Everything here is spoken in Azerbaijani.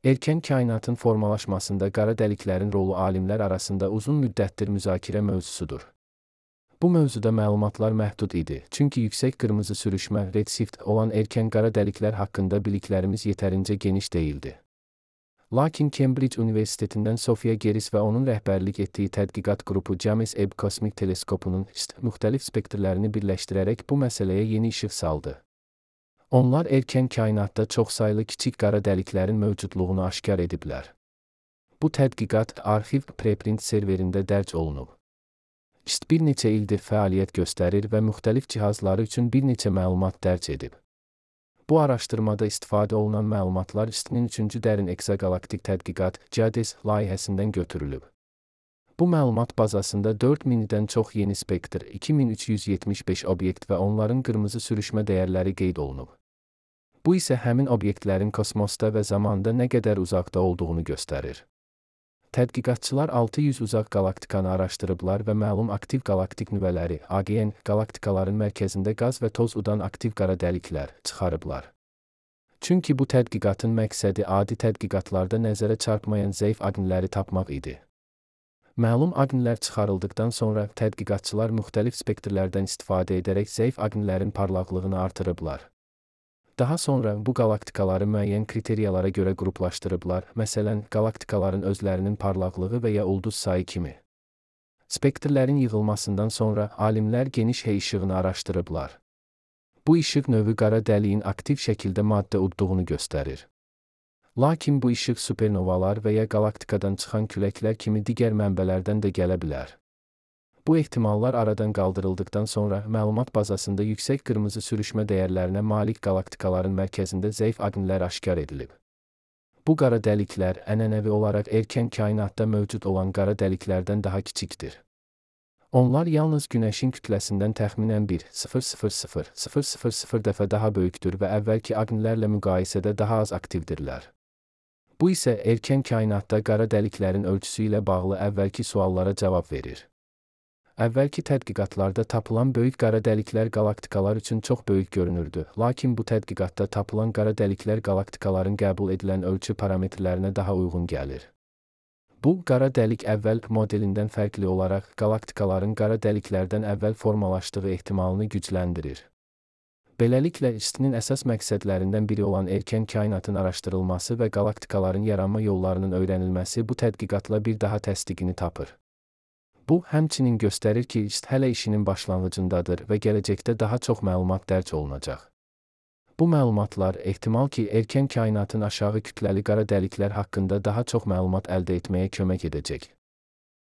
Erkən kainatın formalaşmasında qara dəliklərin rolu alimlər arasında uzun müddətdir müzakirə mövzusudur. Bu mövzuda məlumatlar məhdud idi, çünki yüksək qırmızı sürüşmə redshift olan erkən qara dəliklər haqqında biliklərimiz yetərincə geniş deyildi. Lakin Cambridge Universitetindən Sophia Geris və onun rəhbərlik etdiyi tədqiqat qrupu James Webb Kosmik Teleskopunun müxtəlif spektrlərini birləşdirərək bu məsələyə yeni işıq saldı. Onlar erkən kainatda çoxsaylı kiçik qara dəliklərin mövcudluğunu aşkar ediblər. Bu tədqiqat arxiv preprint serverində dərc olunub. Bir neçə ildir fəaliyyət göstərir və müxtəlif cihazları üçün bir neçə məlumat dərc edib. Bu araşdırmada istifadə olunan məlumatlar IST-nin 3-cü dərin eksoqalaktik tədqiqat JADES layihəsindən götürülüb. Bu məlumat bazasında 4000-dən çox yeni spektr, 2375 obyekt və onların qırmızı sürüşmə dəyərləri qeyd olunub. Bu isə həmin obyektlərin kosmosda və zamanda nə qədər uzaqda olduğunu göstərir. Tədqiqatçılar 600 uzaq qalaktikanı araşdırıblar və məlum aktiv qalaktik nüvələri, AGN, qalaktikaların mərkəzində qaz və toz udan aktiv qara dəliklər çıxarıblar. Çünki bu tədqiqatın məqsədi adi tədqiqatlarda nəzərə çarpmayan zəif aqnləri tapmaq idi. Məlum aqnlər çıxarıldıqdan sonra tədqiqatçılar müxtəlif spektrlərdən istifadə edərək zəif aqnlərin parlaqlığını artırıblar. Daha sonra bu qalaktikaları müəyyən kriteriyalara görə qruplaşdırıblar, məsələn, qalaktikaların özlərinin parlaqlığı və ya ulduz sayı kimi. Spektrlərin yığılmasından sonra alimlər geniş H işığını araşdırıblar. Bu işıq növü qara dəliyin aktiv şəkildə maddə udduğunu göstərir. Lakin bu işıq supernovalar və ya qalaktikadan çıxan küləklər kimi digər mənbələrdən də gələ bilər. Bu ehtimallar aradan qaldırıldıqdan sonra məlumat bazasında yüksək qırmızı sürüşmə dəyərlərinə malik qalaktikaların mərkəzində zəif aqnlər aşkar edilib. Bu qara dəliklər ənənəvi olaraq erkən kainatda mövcud olan qara dəliklərdən daha kiçikdir. Onlar yalnız Günəşin kütləsindən təxminən 1,000,000 dəfə daha böyükdür və əvvəlki aqnlərlə müqayisədə daha az aktivdirlər. Bu isə erkən kainatda qara dəliklərin ölçüsü ilə bağlı əvvəlki suallara cavab verir. Əvvəlki tədqiqatlarda tapılan böyük qara dəliklər qalaktikalar üçün çox böyük görünürdü, lakin bu tədqiqatda tapılan qara dəliklər qalaktikaların qəbul edilən ölçü parametrlərinə daha uyğun gəlir. Bu, qara dəlik əvvəl modelindən fərqli olaraq qalaktikaların qara dəliklərdən əvvəl formalaşdığı ehtimalını gücləndirir. Beləliklə, IST-nin əsas məqsədlərindən biri olan erkən kainatın araşdırılması və qalaktikaların yaranma yollarının öyrənilməsi bu tədqiqatla bir daha təsdiqini tapır. Bu, həmçinin göstərir ki, IST hələ işinin başlanğıcındadır və gələcəkdə daha çox məlumat dərc olunacaq. Bu məlumatlar ehtimal ki, erkən kainatın aşağı kütləli qara dəliklər haqqında daha çox məlumat əldə etməyə kömək edəcək.